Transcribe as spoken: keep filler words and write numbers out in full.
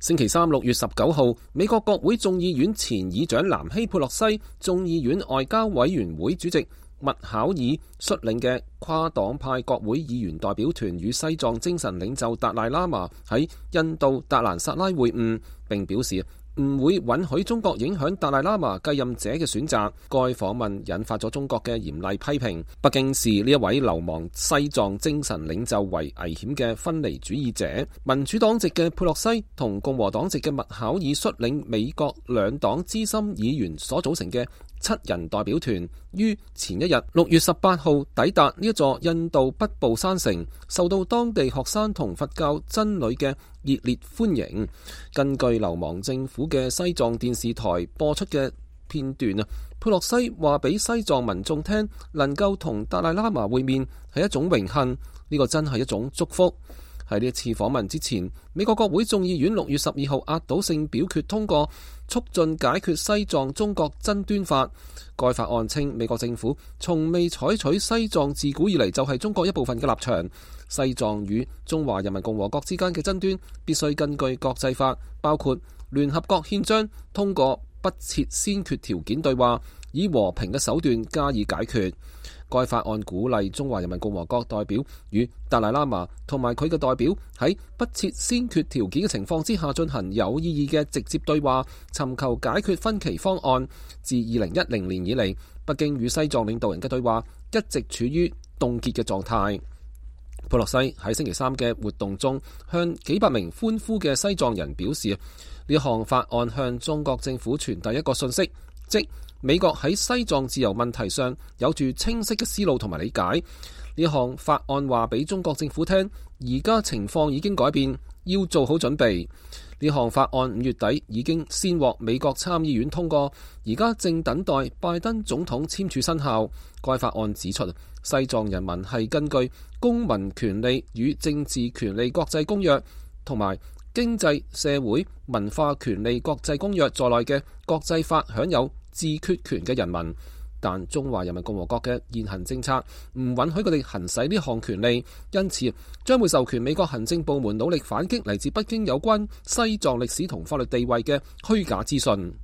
星期三六月十九號，美國國會眾議院前議長南希·佩洛西、眾議院外交委員會主席麥考爾率領嘅跨黨派國會議員代表團與西藏精神領袖達賴喇嘛喺印度達蘭薩拉會晤，並表示唔會允許中國影響達賴喇嘛繼任者嘅選擇。該訪問引發咗中國嘅嚴厲批評。北京視呢一位流亡西藏精神領袖為危險嘅分離主義者。民主黨籍嘅佩洛西同共和黨籍嘅麥考爾率領美國兩黨資深議員所組成嘅七人代表團於前一日六月十八號抵達呢一座印度北部山城，受到當地學生同佛教僧侶嘅熱烈歡迎。根據流亡政府嘅西藏電視台播出嘅片段啊，佩洛西話俾西藏民眾聽，能夠同達賴喇嘛會面係一種榮幸，呢個真係一種祝福。喺呢次訪問之前，美國國會眾議院六月十二號壓倒性表決通過促進解決西藏中國爭端法。該法案稱，美國政府從未採取西藏自古以嚟就係中國一部分嘅立場。西藏與中華人民共和國之間嘅爭端必須根據國際法，包括聯合國憲章，通過不設先決條件對話，以和平嘅手段加以解決。該法案鼓勵中華人民共和國代表與達賴喇嘛同埋佢嘅代表喺不設先決條件嘅情況之下進行有意義嘅直接對話，尋求解決分歧方案。自二零一零年以嚟，北京與西藏領導人嘅對話一直處於凍結嘅狀態。佩洛西喺星期三嘅活動中向幾百名歡呼嘅西藏人表示，呢項法案向中國政府傳遞一個信息，即美國喺西藏自由問題上有住清晰嘅思路同埋理解。呢項法案話俾中國政府聽，而家情況已經改變，要做好準備。呢項法案五月底已經先獲美國參議院通過，而家正等待拜登總統簽署生效。該法案指出，西藏人民係根據《公民權利與政治權利國際公約》同埋經濟社會文化權利國際公約在內嘅國際法享有自決權嘅人民，但中華人民共和國嘅現行政策唔允許佢哋行使呢項權利，因此將會授權美國行政部門努力反擊嚟自北京有關西藏歷史同法律地位嘅虛假資訊。